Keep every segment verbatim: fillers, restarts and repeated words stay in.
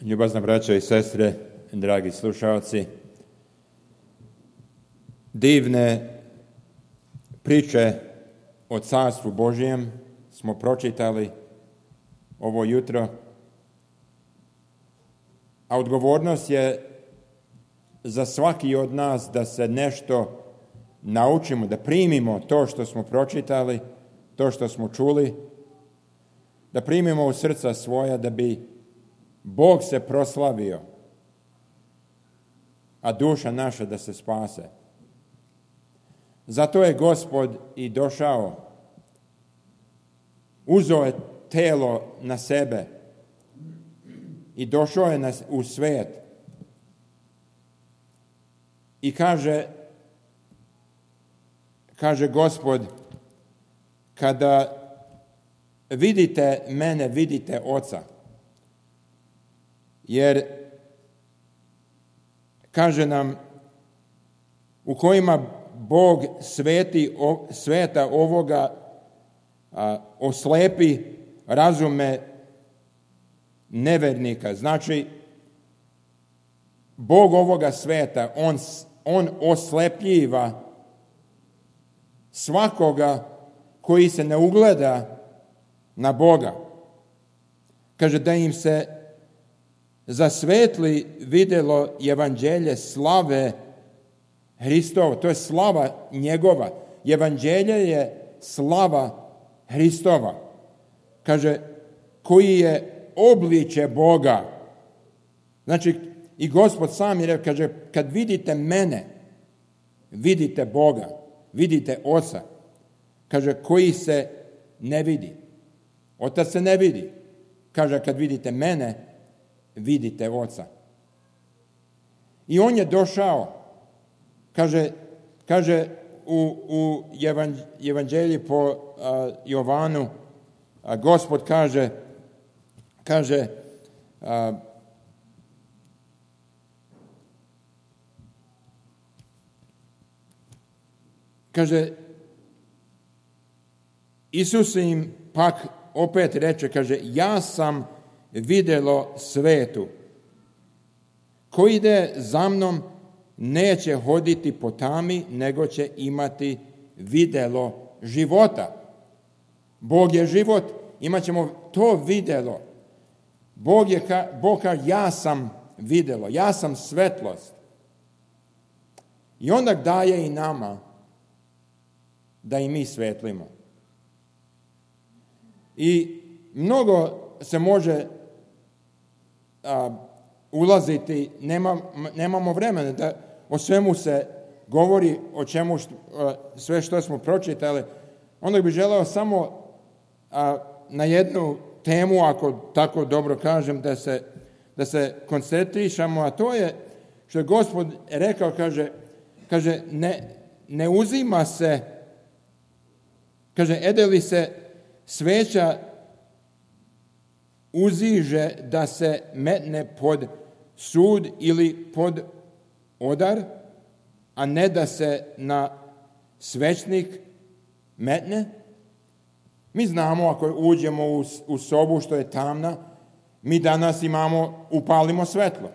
Ljubazna braćo i sestre, dragi slušalci, divne priče o Carstvu Božjem smo pročitali ovo jutro, a odgovornost je za svaki od nas da se nešto naučimo, da primimo to što smo pročitali, to što smo čuli, da primimo u srca svoja da bi Bog se proslavio, a duša naša da se spase. Zato je Gospod i došao, uzeo je telo na sebe i došao je u svijet. I kaže, kaže Gospod, kada vidite mene, vidite Oca. Jer, kaže nam, u kojima Bog sveti, sveta ovoga a, oslepi razume nevernika. Znači, Bog ovoga sveta, on, on oslepljiva svakoga koji se ne ugleda na Boga. Kaže da im se zasvetli vidjelo evanđelje slave Hristova. To je slava njegova. Evanđelje je slava Hristova. Kaže, koji je obliče Boga. Znači, i Gospod sam je rekao, kaže, kad vidite mene, vidite Boga, vidite Oca. Kaže, koji se ne vidi. Otac se ne vidi. Kaže, kad vidite mene, vidite Oca. I on je došao, kaže, kaže u, u evanđelji po uh, Jovanu, uh, Gospod kaže, kaže, uh, kaže, Isus im pak opet reče, kaže, ja sam vidjelo svetu. Ko ide za mnom, neće hoditi po tami, nego će imati vidjelo života. Bog je život, imat ćemo to vidjelo. Bog je, Bog kaže, ja sam vidjelo, ja sam svetlost. I onda daje i nama da i mi svetlimo. I mnogo se može a, ulaziti, nema, nemamo vremena da o svemu se govori, o čemu što, a, sve što smo pročitali. Onda bih želeo samo a, na jednu temu, ako tako dobro kažem, da se, da se koncentrišemo, a to je što je Gospod rekao, kaže, kaže ne, ne uzima se, kaže, ede li se sveća uziže da se metne pod sud ili pod odar, a ne da se na svećnik metne. Mi znamo, ako uđemo u, u sobu što je tamna, mi danas imamo, upalimo svetlo.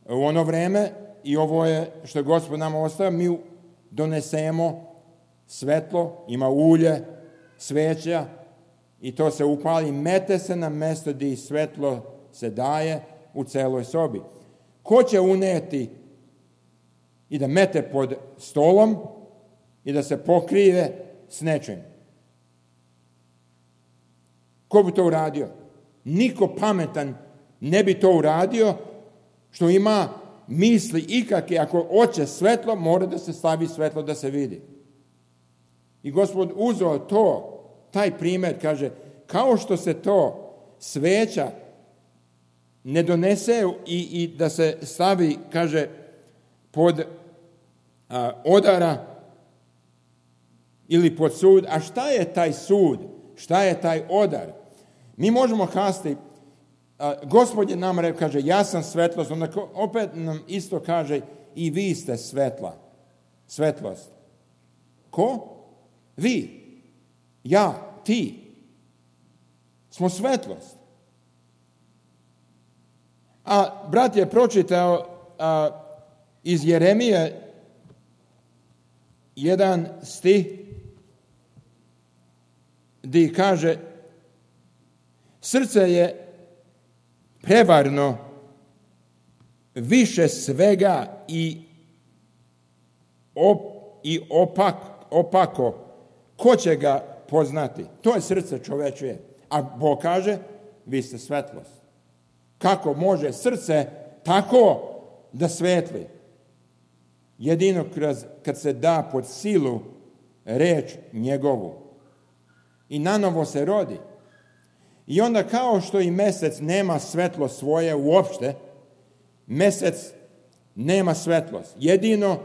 U ono vreme, i ovo je što je Gospod nama ostavio, mi donesemo svetlo, ima ulje, sveća, i to se upali, mete se na mjesto gdje svetlo se daje u celoj sobi. Ko će uneti i da mete pod stolom i da se pokrije s nečim? Ko bi to uradio? Niko pametan ne bi to uradio, što ima misli ikakve. Ako hoće svetlo, mora da se stavi svetlo da se vidi. I Gospod uzeo to, taj primjer, kaže, kao što se to sveća ne donese i, i da se stavi, kaže, pod a, odara ili pod sud. A šta je taj sud? Šta je taj odar? Mi možemo kazati, a, Gospod je nam rekao, kaže, ja sam svetlost, onda opet nam isto kaže, i vi ste svetla, svetlost. Ko? Vi. Ja, ti. Smo svetlost. A brat je pročitao a, iz Jeremije jedan stih gdje kaže: srce je prevarno više svega i, op, i opak, opako. Ko će ga poznati? To je srce čovečije. A Bog kaže: vi ste svetlost. Kako može srce tako da svetli? Jedino kroz, kad se da pod silu reč njegovu. I nanovo se rodi. I onda kao što i mesec nema svetlo svoje uopšte, mesec nema svetlost. Jedino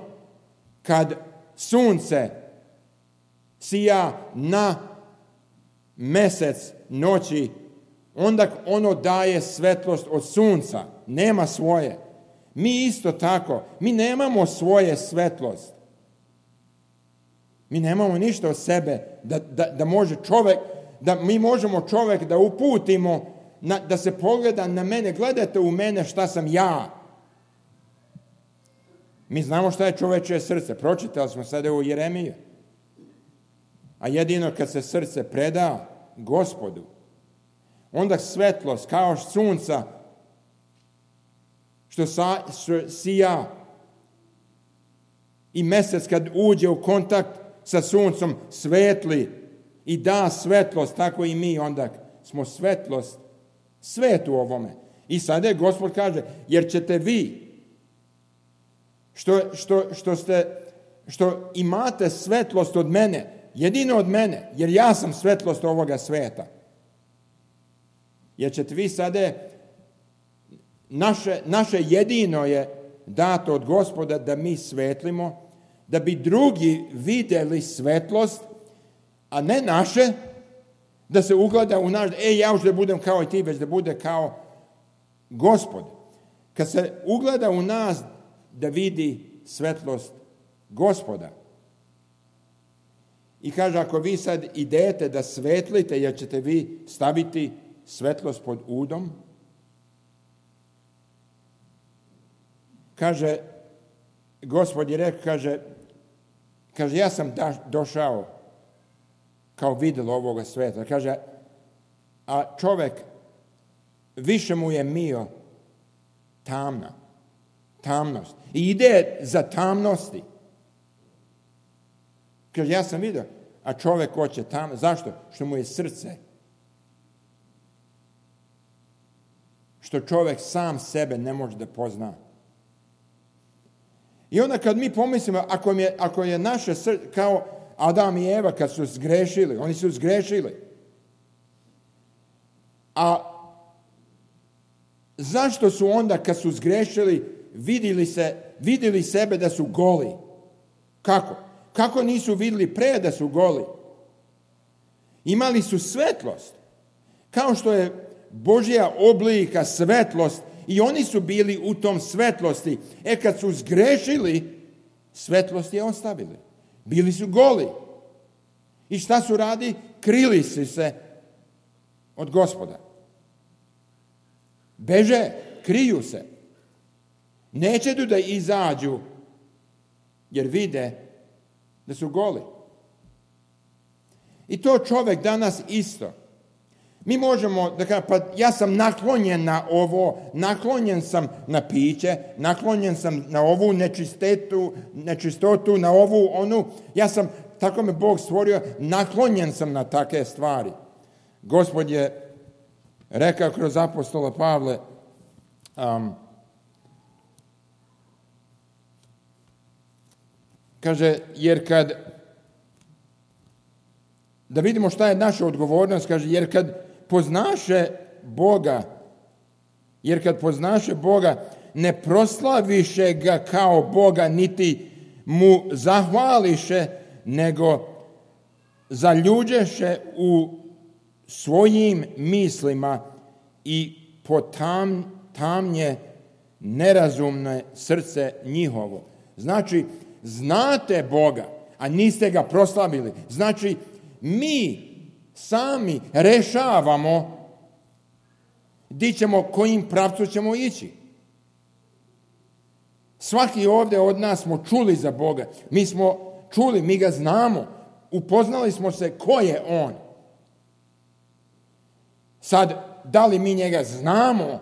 kad sunce sija na mesec noći, onda ono daje svetlost od sunca, nema svoje. Mi isto tako, mi nemamo svoje svetlost. Mi nemamo ništa od sebe da, da, da može čovjek, da mi možemo čovjek da uputimo, na, da se pogleda na mene, gledajte u mene šta sam ja. Mi znamo šta je čovječje srce, pročitali smo sada u Jeremiju. A jedino kad se srce preda Gospodu, onda svetlost kao sunca što, sa, što sija i mesec kad uđe u kontakt sa suncom svetli i da svetlost, tako i mi onda smo svetlost, svet u ovome. I sada je Gospod kaže, jer ćete vi što, što, što, ste, što imate svetlost od mene, jedino od mene, jer ja sam svetlost ovoga sveta. Jer ćete vi sada, naše, naše jedino je dato od Gospoda da mi svetlimo, da bi drugi vidjeli svetlost, a ne naše, da se ugleda u naš, e, ja už da budem kao i ti, već da bude kao Gospod. Kad se ugleda u nas, da vidi svetlost Gospoda. I kaže, ako vi sad idete da svetlite, jer ćete vi staviti svetlost pod udom, kaže, Gospod je rekao, kaže, kaže, ja sam da, došao kao vidjelo ovoga sveta. Kaže, a čovjek više mu je mio tamna, tamnost. I ide za tamnosti. Kaže, ja sam vidio, a čovjek hoće tamno. Zašto? Što mu je srce. Što čovjek sam sebe ne može da pozna. I onda kad mi pomislimo, ako je, ako je naše srce, kao Adam i Eva kad su zgrešili, oni su zgrešili. A zašto su onda kad su zgrešili vidjeli, se, vidjeli sebe da su goli? Kako? Kako nisu vidjeli pre da su goli? Imali su svetlost. Kao što je Božja oblika svetlost i oni su bili u tom svetlosti. E kad su zgrešili, svetlost je ostavili. Bili su goli. I šta su radi? Krili su se od Gospoda. Beže, kriju se. Neće da izađu, jer vide da su goli. I to čovjek danas isto. Mi možemo da kažem, pa ja sam naklonjen na ovo, naklonjen sam na piće, naklonjen sam na ovu nečistotu, nečistotu, na ovu, onu. Ja sam, tako me Bog stvorio, naklonjen sam na takve stvari. Gospod je rekao kroz apostola Pavle, um, kaže, jer kad, da vidimo šta je naša odgovornost, kaže, jer kad poznaše Boga, jer kad poznaše Boga, ne proslaviše ga kao Boga, niti mu zahvališe, nego zaljuđeše u svojim mislima i potam, tamnje nerazumne srce njihovo. Znači, znate Boga, a niste ga proslavili. Znači, mi sami rešavamo Di ćemo, kojim pravcu ćemo ići. Svaki ovdje od nas smo čuli za Boga. Mi smo čuli, mi ga znamo. Upoznali smo se ko je on. Sad, da li mi njega znamo?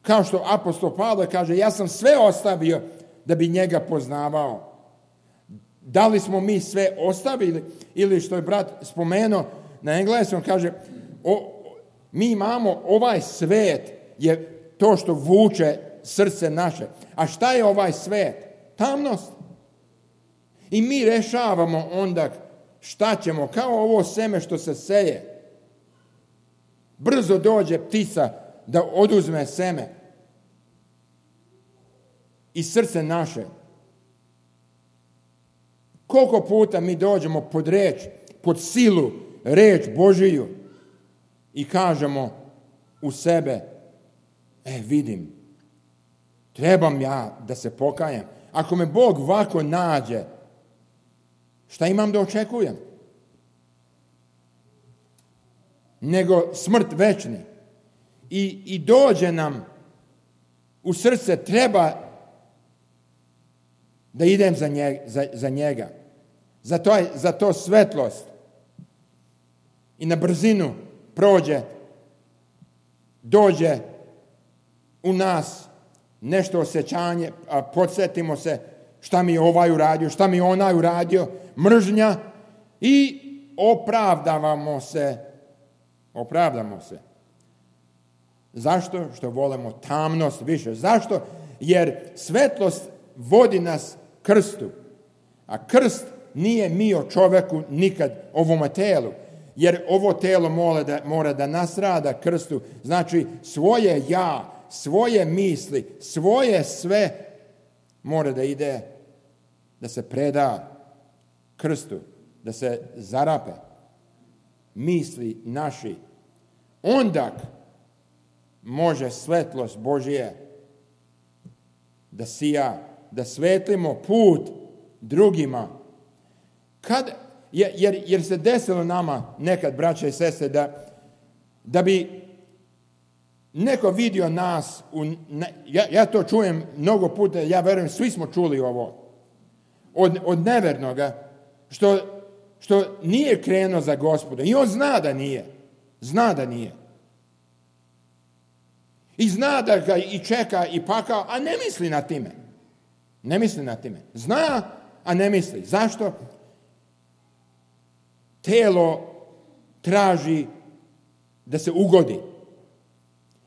Kao što apostol Pavle kaže, ja sam sve ostavio da bi njega poznavao. Da li smo mi sve ostavili? Ili što je brat spomenuo na engleskom, kaže, o, mi imamo ovaj svet, je to što vuče srce naše. A šta je ovaj svet? Tamnost. I mi rešavamo onda šta ćemo, kao ovo seme što se seje. Brzo dođe ptica da oduzme seme i srce naše. Koliko puta mi dođemo pod reč, pod silu, reč Božiju i kažemo u sebe, e vidim, trebam ja da se pokajem. Ako me Bog ovako nađe, šta imam da očekujem? Nego smrt večni. I, i dođe nam u srce, treba da idem za njega. Za, za, njega. za, to, za to svetlost. I na brzinu prođe, dođe u nas nešto osjećanje, a podsjetimo se šta mi je ovaj uradio, šta mi je onaj uradio, mržnja i opravdavamo se. Opravdamo se. Zašto? Što volimo tamnost više. Zašto? Jer svetlost vodi nas krstu. A krst nije mio čoveku nikad ovome telu. Jer ovo telo mora da, mora da nasrada krstu. Znači svoje ja, svoje misli, svoje sve mora da ide, da se preda krstu, da se zarape. Misli naši. Onda može svetlost Božje da sija, da svetlimo put drugima. Kad, jer, jer se desilo nama nekad, braće i sestre, da, da bi neko vidio nas, u, ja, ja to čujem mnogo puta, ja verujem, svi smo čuli ovo, od, od nevernoga, što, što nije krenuo za Gospoda. I on zna da nije. Zna da nije. I zna da ga i čeka i pakao, a ne misli na time. Ne misli na time. Zna, a ne misli. Zašto? Telo traži da se ugodi.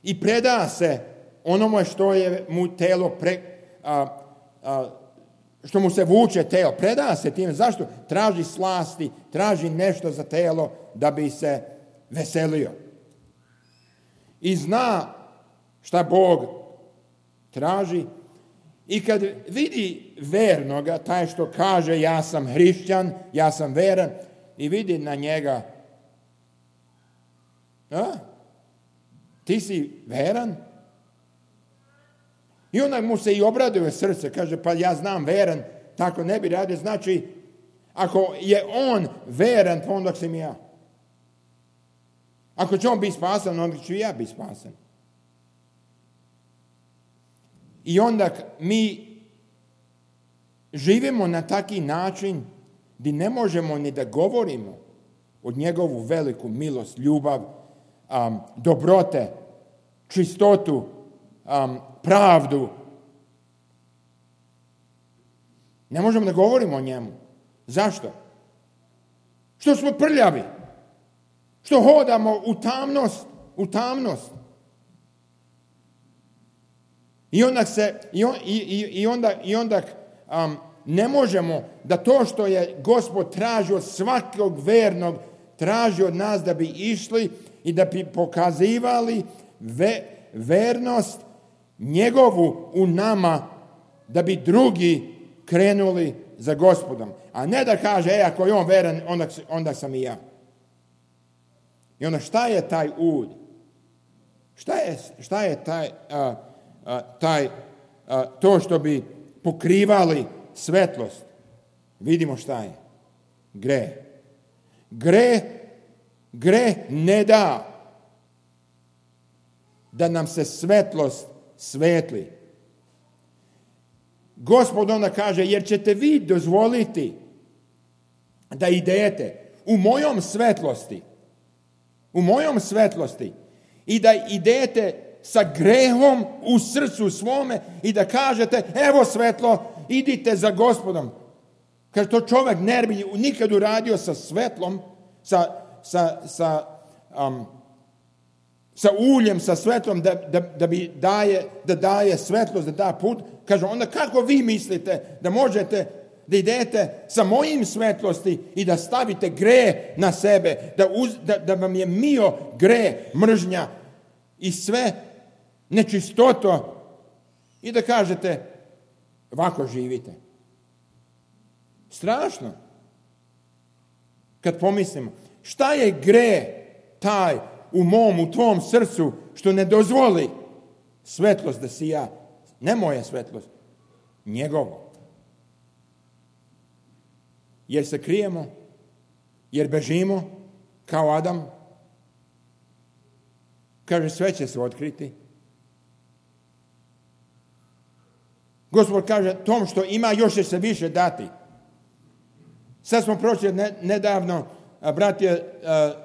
I preda se onome što je mu telo pre, a, a, što mu se vuče telo. Preda se time. Zašto? Traži slasti, traži nešto za telo da bi se veselio. I zna šta Bog traži. I kad vidi vernoga, taj što kaže ja sam hrišćan, ja sam veran, i vidi na njega, a, ti si veran? I onda mu se i obraduje srce, kaže pa ja znam veran, tako ne bi radio. Znači, ako je on veran, pa onda sam ja. Ako će on biti spasan, onda ću ja biti spasan. I onda mi živimo na taki način gdje ne možemo ni da govorimo od njegovu veliku milost, ljubav, um, dobrote, čistotu, um, pravdu. Ne možemo da govorimo o njemu. Zašto? Što smo prljavi. Što hodamo u tamnost, u tamnost. I onda se, i, on, i, i onda, i onda um, ne možemo da to što je Gospod traži od svakog vernog, traži od nas da bi išli i da bi pokazivali ve, vernost njegovu u nama, da bi drugi krenuli za Gospodom. A ne da kaže, e, ako je on veran, onda, onda sam i ja. I onda šta je taj ud? Šta je, šta je taj, a, a, taj a, to što bi pokrivali svetlost? Vidimo šta je. Gre. Gre, gre ne da. da nam se svetlost svetli. Gospod onda kaže, jer ćete vi dozvoliti da idete u mojom svetlosti, u mojom svetlosti i da idete sa grehom u srcu svome i da kažete, evo svetlo, idite za Gospodom. Kaže, to čovjek ne bi nikad uradio sa svetlom, sa, sa, sa, um, sa uljem, sa svetlom, da, da, da, bi daje, da daje svetlost, da da put. Kaže, onda kako vi mislite da možete da idete sa mojim svetlosti i da stavite greh na sebe, da, uz, da, da vam je mio greh, mržnja i sve nečistoto i da kažete, ovako živite. Strašno. Kad pomislimo, šta je greh taj u mom, u tvom srcu, što ne dozvoli svetlost da si ja, ne moja svetlost, njegovo. Jer se krijemo, jer bežimo, kao Adam. Kaže, sve će se otkriti. Gospod kaže, tom što ima još će se više dati. Sad smo prošli nedavno, brat je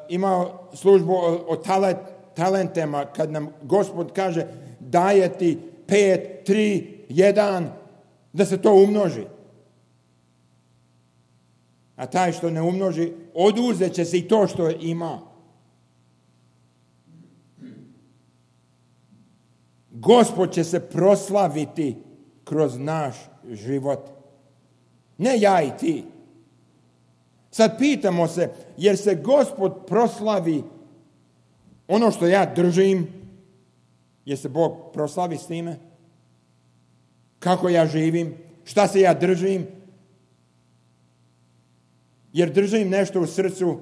imao službu o, o talent, talentima, kad nam Gospod kaže, daje ti pet, tri, jedan, da se to umnoži. A taj što ne umnoži, oduzet će se i to što ima. Gospod će se proslaviti kroz naš život. Ne ja i ti. Sad pitamo se, jer se Gospod proslavi ono što ja držim, jer se Bog proslavi s time? Kako ja živim? Šta se ja držim? Jer držim nešto u srcu,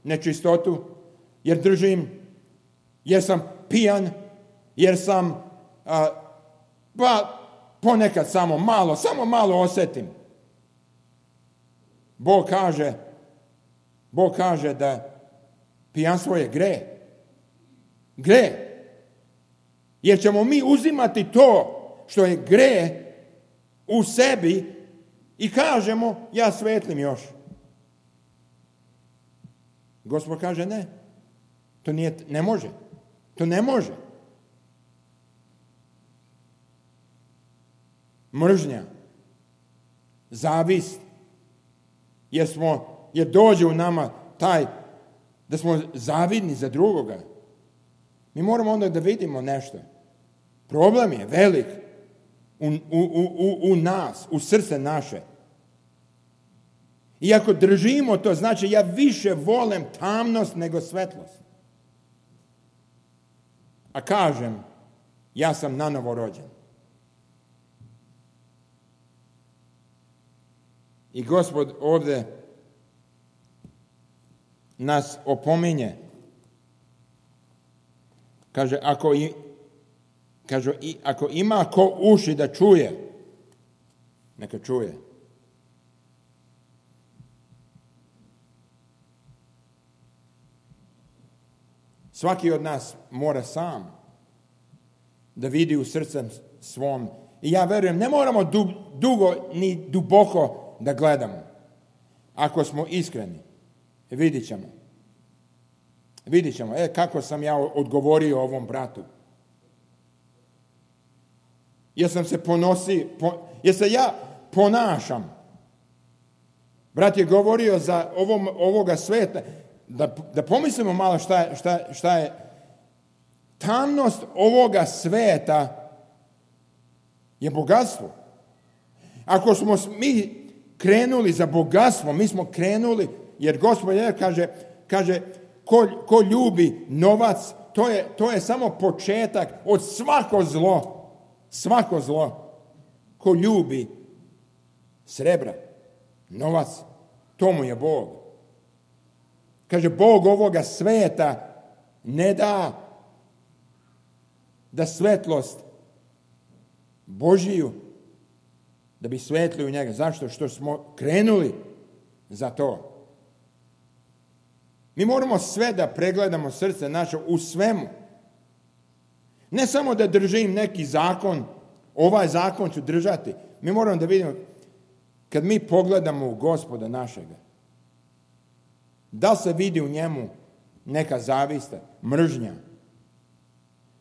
nečistotu, jer držim, jer sam pijan, jer sam, a, pa ponekad samo malo, samo malo osjetim. Bog kaže, Bog kaže da pijanstvo je greh. Greh. Jer ćemo mi uzimati to što je greh u sebi i kažemo, ja svetlim još. Gospod kaže ne. To nije, ne može. To ne može. Mržnja. Zavist. Jer smo, jer dođe u nama taj, da smo zavidni za drugoga. Mi moramo onda da vidimo nešto. Problem je velik u, u, u, u nas, u srce naše. I ako držimo to, znači ja više volim tamnost nego svetlost. A kažem, ja sam nanovo rođen. I Gospod ovdje nas opominje. Kaže, ako, i, kaže, i, ako ima ko uši da čuje, neka čuje. Svaki od nas mora sam da vidi u srcem svom. I ja verujem, ne moramo du, dugo ni duboko da gledamo. Ako smo iskreni, vidit ćemo. Vidit ćemo, e, kako sam ja odgovorio ovom bratu. Jer sam se ponosi, po, jer se ja ponašam. Brat je govorio za ovom, ovoga sveta, da, da pomislimo malo šta, šta, šta je. Tamnost ovoga sveta je bogatstvo. Ako smo mi krenuli za bogatstvo, mi smo krenuli, jer Gospod je, kaže, kaže ko, ko ljubi novac, to je, to je samo početak od svako zlo. Svako zlo. Ko ljubi srebra, novac, to mu je Bog. Kaže, Bog ovoga sveta ne da da svetlost Božiju, da bi svetli u njega. Zašto? Što smo krenuli za to. Mi moramo sve da pregledamo srce naše u svemu. Ne samo da držim neki zakon, ovaj zakon ću držati. Mi moramo da vidimo, kad mi pogledamo u Gospoda našega, da li se vidi u njemu neka zavista, mržnja?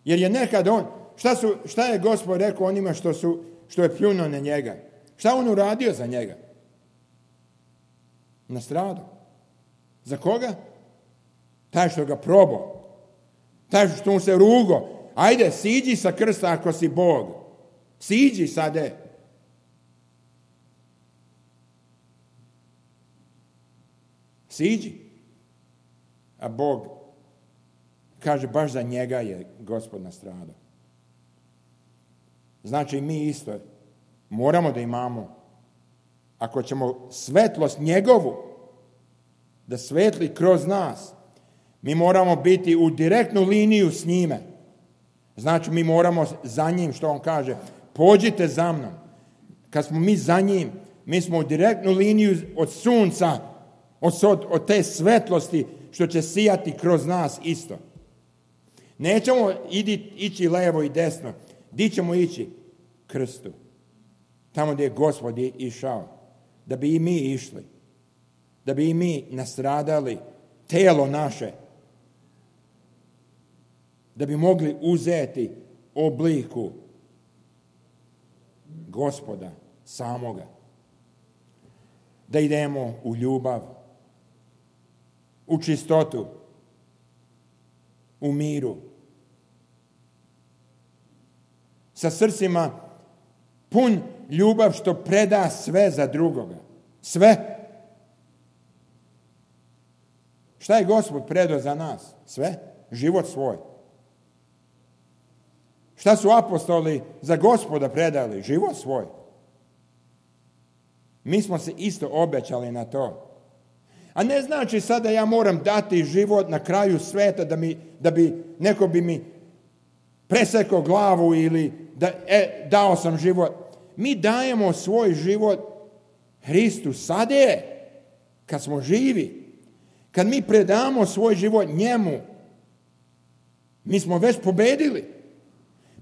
Jer je nekad on, šta, su, šta je Gospod rekao onima što, su, što je pljunuo na njega? Šta on uradio za njega? Nastradao. Za koga? Taj što ga probao. Taj što mu se rugo. Ajde, siđi sa krsta ako si Bog. Siđi sade. Siđi. A Bog kaže, baš za njega je Gospod nastradao. Znači, mi isto moramo da imamo, ako ćemo svetlost njegovu da svetli kroz nas, mi moramo biti u direktnu liniju s njime. Znači, mi moramo za njim, što on kaže, pođite za mnom. Kad smo mi za njim, mi smo u direktnu liniju od sunca, od, od te svetlosti što će sijati kroz nas isto. Nećemo idi, ići levo i desno. Di ćemo ići? Krstu. Tamo gdje je Gospod išao. Da bi i mi išli. Da bi i mi nastradali telo naše. Da bi mogli uzeti obliku Gospoda samoga. Da idemo u ljubav, u čistotu, u miru. Sa srcima pun ljubav što preda sve za drugoga. Sve. Šta je Gospod predao za nas? Sve. Život svoj. Šta su apostoli za Gospoda predali? Život svoj. Mi smo se isto obećali na to. A ne znači sada ja moram dati život na kraju sveta da, mi, da bi neko bi mi presekao glavu ili da e, dao sam život. Mi dajemo svoj život Hristu sada je, kad smo živi. Kad mi predamo svoj život njemu, mi smo već pobedili.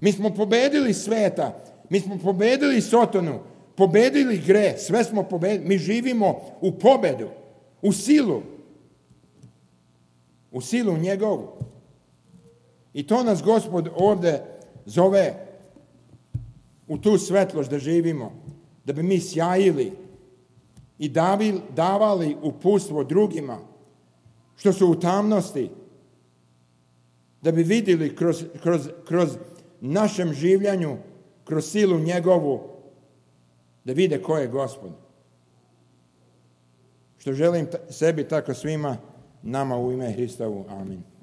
Mi smo pobedili sveta, mi smo pobedili Sotonu, pobedili greh, sve smo pobedili. Mi živimo u pobedu, u silu, u silu njegovu. I to nas Gospod ovdje zove u tu svetlost da živimo, da bi mi sjajili i davili, davali uputstvo drugima što su u tamnosti, da bi vidjeli kroz, kroz, kroz našem življanju, kroz silu njegovu, da vide ko je Gospod. Što želim sebi, tako svima nama u ime Hristovu. Amin.